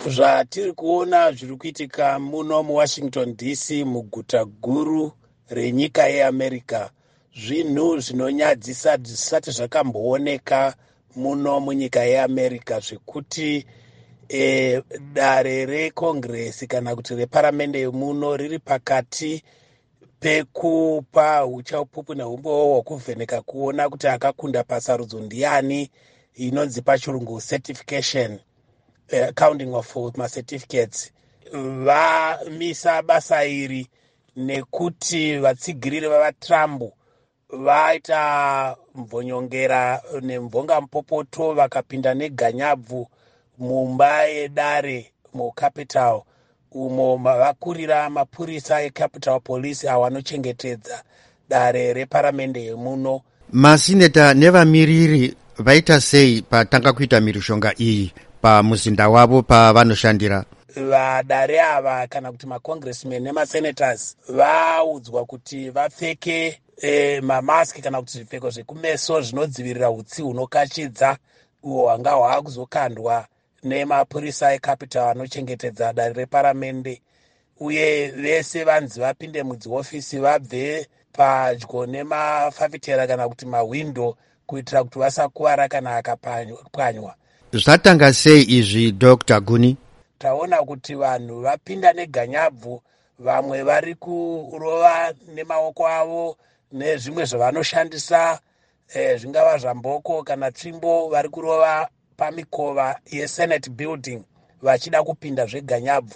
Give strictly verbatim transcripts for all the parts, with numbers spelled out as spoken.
Zvatiri kuona zviri kuitika muno muWashington D C, muguta guru renyika yeAmerica, zvinhu zvinonyadzisa zvisati zvakambooneka muno munyika yeAmerica, zvekuti e, dare reCongress kana kuti reparamende yemuno riri pakati pekupa uchapupu neumbowo hwekuvheneka kuona kuti akakunda pasarudzo ndiani, inonzi pachirungu certification, uh, counting of macertificates. Vamisa basa iri nekuti vatsigiriri vavaTrump vaita mvonyongera nemvongamupopoto, vakapinda neganyabvu mumba yedare muCapitol, umo mavakurira mapurisa eCapitol Police avo anochengetedza dare reparamende yemuno. Masineta nevamiriri vaita sei patanga kuita mhirizhonga iyi pamuzinda wavo pavanoshandira? Vadare ava kana kuti macongressmen nemasenators vaudzwa kuti vapfeke e, mamaski kana kuti zvipfeko zvekumeso zvinodzivirira utsi hunokachidza uhwo hwanga hwaakuzokandwa nemapurisa eCapitol anochengetedza dare reparamende. Uye vese vanzi vapinde mudzihofisi, vabve padyo nemafafitera kana kuti mahwindo, kuitira kuti vasakuvara kana akapwanywa. Zvatanga sei izvi, Doctor Guni? Taona kuti vanhu vapinda neganyabvu. Vamwe vari kurova nemaoko avo nezvimwe zvavanoshandisa, eh, zvingava zvamboko kana tsvimbo. Vari kurova pamikova yeSenate building vachida kupinda zveganyabvu.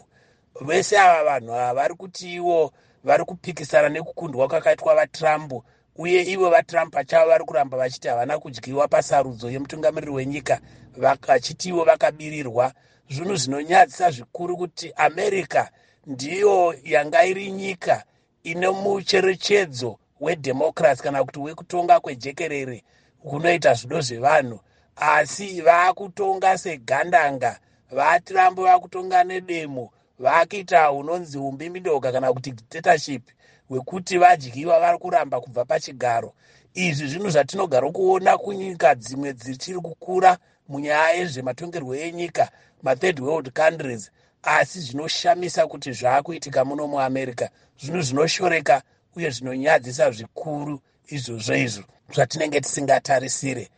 Vese ava vanhu ava vari kuti ivo vari kupikisana nekukundwa kwakaitwa vaTrump, uye ivo vaTrump pachavo vari kuramba vachiti havana kudyiwa pasarudzo yemutungamiriri wenyika, vachiti ivo vakabirirwa. Zvinhu zvinonyadzisa zvikuru kuti America ndiyo yanga iri nyika ine mucherechedzo wedhemocracy kana kuti wekutonga kwejekerere kunoita zvido zvevanhu, asi vaakutonga segandanga. VaTrump vakutonga nedemo, vakuita unonzi umbimbindoga kana kuti dictatorship hwekuti vadyiwa vari kuramba kubva pachigaro. Izvi zvinhu zvatinogara kuona kunyika dzimwe dzichiri kukura munyaya yezvematongerwo enyika, mathird world countries, asi zvinoshamisa kuti zvaakuitika muno muAmerica. Zvinhu zvinoshoreka uye zvinonyadzisa zvikuru izvozvo izvo zvatinenge tisingatarisire.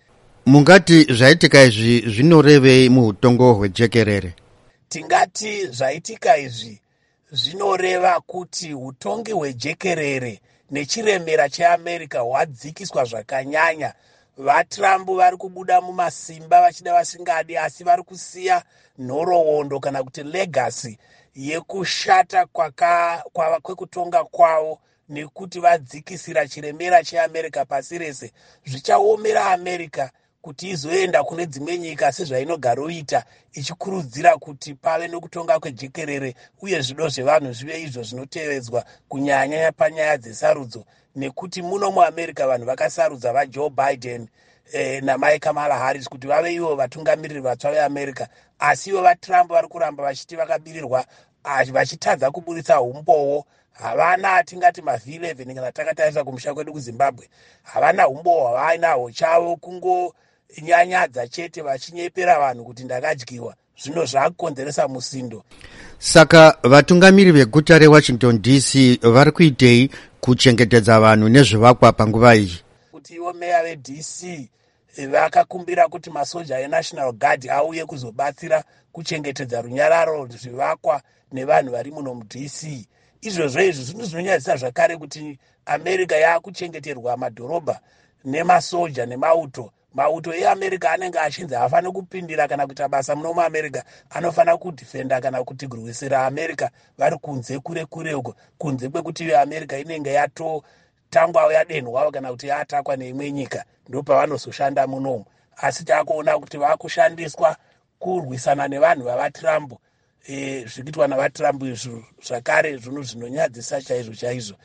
Mungati zvaitika izvi zvinorevei muutongo hwejekerere? Tingati zvaitika izvi zvinoreva kuti utongi hwejekerere nechiremera cheAmerica hwadzikiswa zvakanyanya. VaTrump vari kubuda mumasimba vachida vasingadi, asi vari kusiya nhoroondo kana kuti legacy yekushata kwekutonga kwavo, nekuti vadzikisira chiremera cheAmerica pasi rese. Zvichaomera America kuti izoenda kune dzimwe nyika sezvainogaroita ichikurudzira kuti pave nokutonga kwejekerere uye zvido zvevanhu zvive izvo zvinotevedzwa, kunyanya panyaya dzesarudzo, nekuti muno muAmerica vanhu vakasarudza vaJoe Biden eh, namai Kamala Harris kuti vave ivo vatungamiriri vatsva veAmerica. Asi ivo vaTrump vari kuramba vachiti vakabirirwa, vachitadza kuburitsa umbowo. Havana atingati mavhi eleven kana takatarisa kumusha kwedu kuZimbabwe. Havana umbowo hwavainahwo, chavo kungonyanyadza chete vachinyepera vanhu kuti ndakadyiwa. Zvino zvaakukonzeresa musindo. Saka vatungamiri veguta reWashington D C vari kuitei kuchengetedza vanhu nezvivakwa panguva iyi? Kuti ivo meya veD C vakakumbira kuti masoja eNational Guard auye kuzobatsira kuchengetedza runyararo, zvivakwa nevanhu vari muno muD C. Izvozvo izvo zvinhu zvinonyadzisa zvakare kuti America yaakuchengeterwa madhorobha nemasoja nemauto. Mauto eAmerica anenge achinzi haafaniri kupindira kana kuita basa muno muAmerica, anofanira kudhifenda kana kuti kurwisira America vari kunze kure kure uko, kunze kwekuti iyo America inenge yatotangwa yadenhwa kana kuti yaatakwa neimwe nyika, ndopavanozoshanda munomu. Asi taakuona kuti vaakushandiswa kurwisana nevanhu vavaTrump. e, zviri kuitwa navaTrump izvo zvakare zvinhu zvinonyadzisa chaizvo chaizvo.